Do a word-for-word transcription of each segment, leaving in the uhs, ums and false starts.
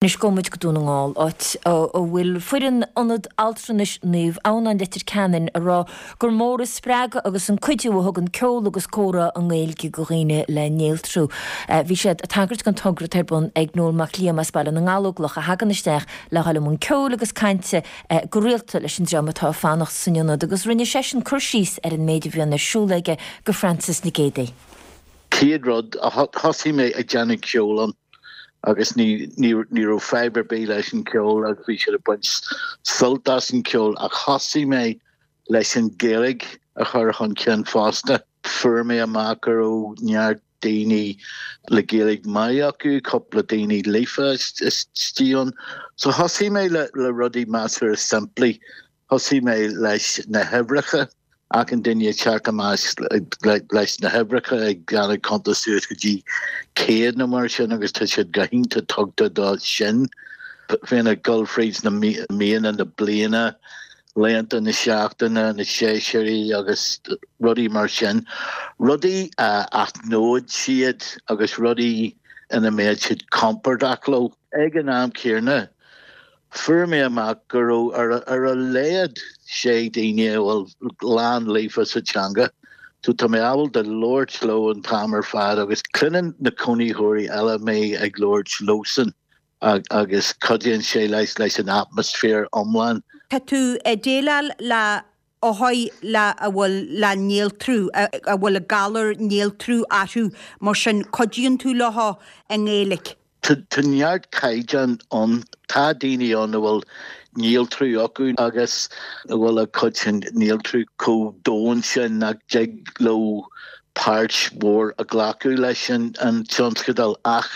Anois gabhfaidh muid go Dún na nGall, áit a bhfuil foireann Ionad Altranais Naomh Adhamhnáin Leitir Ceanainn ag rá gur mór an spreagadh agus an cuidiú a thugann ceol agus comhrá i nGaeilge do dhaoine le néaltrú. Bhí siad ag tagairt don togra atá ar bun ag Noel Mac Liam as Baile na nGallóglach a thagann isteach le dhul i mbun ceoil agus cainte go rialta leis an dream atá ag fanacht san ionad agus rinne seisean cur síos ar an méid a bhíonn ar siúl aige do Frances Nic Géadaigh. Céad rud, thosaigh mé ag déanamh ceol ann agus ní ní ní raibh fadhb ar bith leis an ceol agus bhí siad ag baint sult as an ceol ach thosaigh mé leis an Gaeilge a chur chun cinn fosta. Fuair mé amach go raibh neart daoine le Gaeilge maith acu, cúpla daoine líofa istigh ann. So thosaigh mé le, le rudaí measartha simplí. Thosaigh mé leis na huimhreacha achan duine ag teacht amach leis na huimhreacha ag déanamh cuntas suas go dtí céad nó mar sin agus tá siad go hiontach tugtha do sin. Bhíonn ag dul fríd na míonna na bliana, laethanta na seachtaine, na séasúirí agus rudaí mar sin. Rudaí a aithneoidh siad agus rudaí ina mbeidh siad compordach leo. Ag an am céanna, fuair mé amach go raibh ar ar a laghad sé daoine a bhfuil lán líofa sa teanga. So tá mé ábalta labhairt leo an t-am ar fad agus cluineann na cónaitheoirí eile mé ag labhairt leosan agus cuidíonn sé leis leis an atmaisféar iomlán. Tá tú ag déileáil le othair le a bhfuil le néaltrú a bhfuil a galar néaltrú orthu mar sin cuidíonn tú leo i nGaeilge. Tá neart caighdeán ann tá daoine ann a bhfuil néaltrú acu agus a bhfuil a cuid sin néaltrú chomh domhain sin nach dtig leo páirt mhór a ghlacadh leis an an tionscadal ach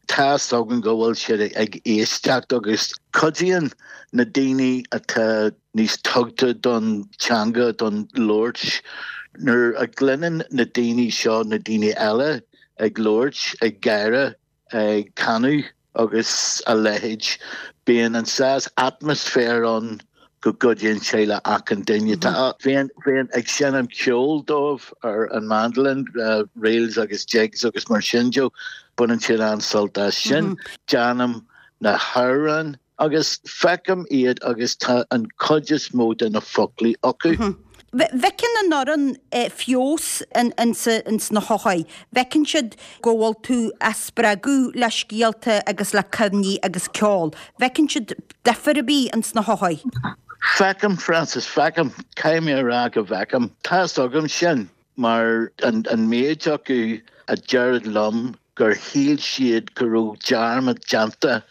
tá a fhios agam go bhfuil siad ag éisteacht agus cuidíonn na daoine atá níos tugtha don teanga don labhairt nuair a chluineann na daoine seo na daoine eile ag labhairt ag gáire ag canadh agus a leithéid bíonn an saghas atmaisféar ann go gcuidíonn sé le achan duine Tá bhíonn bhíonn ag seinm ceol dóibh ar an mandolin uh, reels agus jigs agus mar sin de baineann siad an-sult as sin déanaim na hamhráin agus feicim iad agus tá an chuid is mó de na foclaí acu. Mm -hmm. Bhfeiceann an fhoireann feabhas ins na hothair. Feiceann siad go bhfuil tú á spreagadh le scéalta agus le cuimhní agus ceol. Feiceann siad difear ar bith ins na hothair. Feicim Francis feicim caithfidh mé a rá go bhfeicim Tá agam sin mar an, an méid acu a deir liom gur shíl siad go raibh dearmad déanta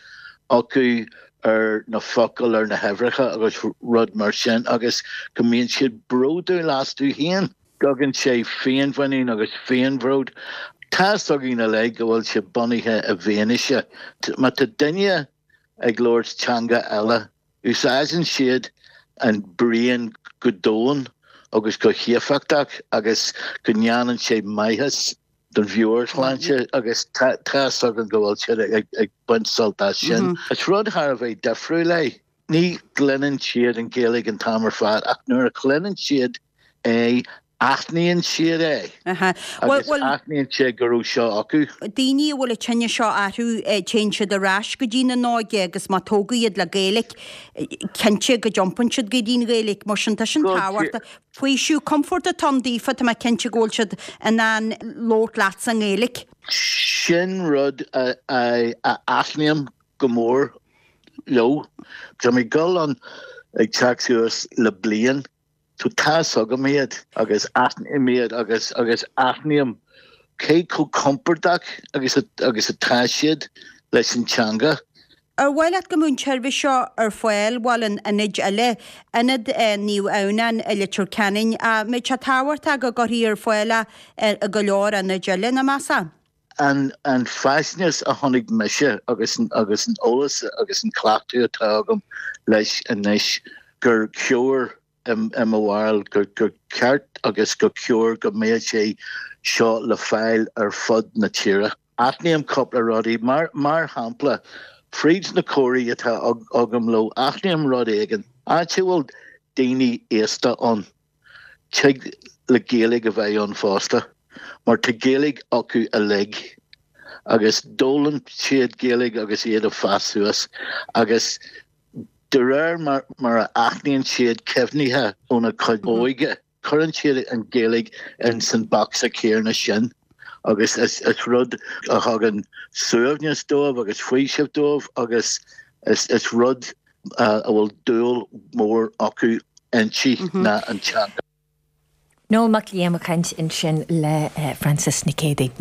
acu ar na focail ar na huimhreacha agus rud mar sin agus go mbíonn siad bródúil astu féin. Tugann sé féinmhuinín agus féinbhród. Tá againn le go bhfuil sé bunaithe i bhfianaise. Má tá duine ag labhairt teanga eile, úsáideann siad an braon go domhain agus go héifeachtach agus go ndéanann sé maitheas don mheabhairshláinte agus tá agam go bhfuil siad ag baint sult as sin. Mm -hmm. Is rud thar a bheith difriúil é. Ní chluineann siad an Ghaeilge an t-am ar fad ach nuair a chluineann siad é aithníonn siad é aithníonn siad go raibh seo acu. Daoine a bhfuil an tinneas seo orthu téann siad ar ais go dtí na n-óige agus má tógadh iad le Gaeilge cinnte go dtiompaíonn siad go dtí an Ghaeilge mar sin tá sin tábhachtach. Faoiseamh compord atá ann daofa tá mé cinnte go bhfuil siad in ann labhairt leat sa nGaeilge. Sin rud a aithním go mór leo. Tá mé gul an ag teacht suas le bliain So tá agam iad agus aithním iad agus agus aithním cé chomh compordach agus agus atá siad leis an teanga. Ar mhaith leat go mbeadh an tseirbhís seo ar fáil bhfuil in ionaid eile, ionad Naomh Adhamhnáin i Leitir Ceanainn, an mbeadh sé tábhachtach go gcuirfí ar fáil é i go leor ionaid eile, nach measfá? An an faisnéis a chonaic mise agus agus an eolas agus an cleachtadh atá agam leis anois gur cóir i mo bharúil gur gur ceart agus gur cóir go mbeadh sé seo le fáil ar fud na tíre. Aithním cúpla rudaí mar mar shampla fríd na comhráití atá agam leo aithním rud éigin áit a bhfuil daoine aosta ann tig le Gaeilge a bheith ann fosta, mar tá Gaeilge acu uilig Agus d'fhoghlaim siad Gaeilge agus iad ag fás suas agus de réir mar, mar a aithníonn siad cuimhnithe óna cuid óige, cuireann siad an Ghaeilge in san bocsa céanna sin. Agus is, is rud a thugann suaimhneas dóibh agus faoiseamh dóibh agus is, is rud uh, a bhfuil dúil mór acu inti ná an teanga. Noel Mac Liam ag caint ansin le uh, Francis Nic Géadaigh.